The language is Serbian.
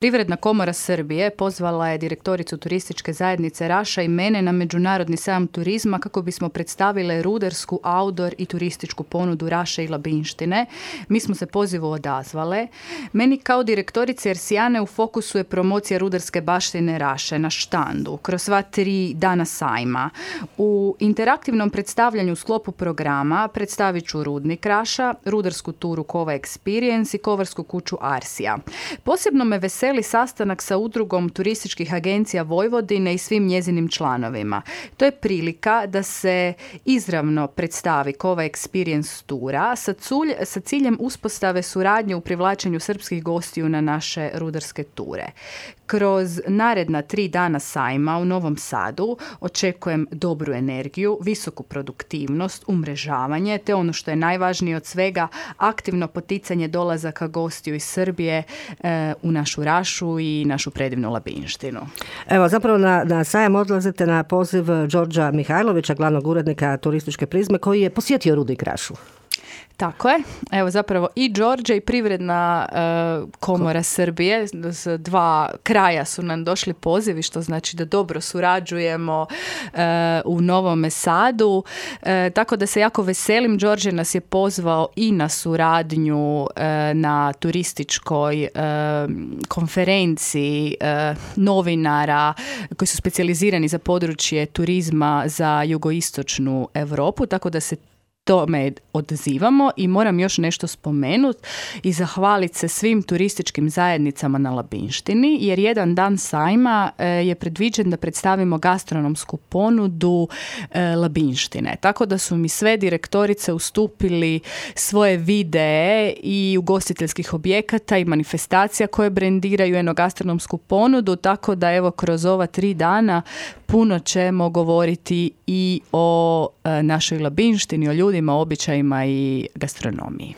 Privredna komora Srbije pozvala je direktoricu turističke zajednice Raša i mene na Međunarodni sajam turizma kako bismo predstavile rudarsku, outdoor i turističku ponudu Raše i Labinštine. Mi smo se pozivu odazvale. Meni kao direktorici Ersijane u fokusu je promocija rudarske baštine Raše na štandu kroz sva 3 dana sajma. U interaktivnom predstavljanju u sklopu programa predstavit ću rudnik Raša, rudarsku turu Kova Experience i kovarsku kuću Arsija. Posebno me veseli sastanak sa udrugom turističkih agencija Vojvodine i svim njezinim članovima. To je prilika da se izravno predstavi Kova Experience tura sa ciljem uspostave suradnje u privlačenju srpskih gostiju na naše rudarske ture. Kroz naredna 3 dana sajma u Novom Sadu očekujem dobru energiju, visoku produktivnost, umrežavanje, te ono što je najvažnije od svega, aktivno poticanje dolazaka gostiju iz Srbije u našu Rašu i našu predivnu Labinštinu. Evo, zapravo na sajam odlazite na poziv Đorđa Mihajlovića, glavnog urednika turističke Prizme, koji je posjetio rudnik Rašu. Tako je. Evo zapravo i Đorđe i Privredna komora Srbije s 2 kraja su nam došli pozivi, što znači da dobro surađujemo u Novome Sadu. Tako da se jako veselim. Đorđe nas je pozvao i na suradnju na turističkoj konferenciji novinara koji su specijalizirani za područje turizma za jugoistočnu Europu, tako da se tome odzivamo i moram još nešto spomenuti i zahvaliti se svim turističkim zajednicama na Labinštini, jer jedan dan sajma je predviđen da predstavimo gastronomsku ponudu Labinštine. Tako da su mi sve direktorice ustupili svoje videe i ugostiteljskih objekata i manifestacija koje brendiraju enogastronomsku ponudu, tako da evo kroz ova 3 dana puno ćemo govoriti i o našoj Labinštini, o ljudima, običajima i gastronomiji.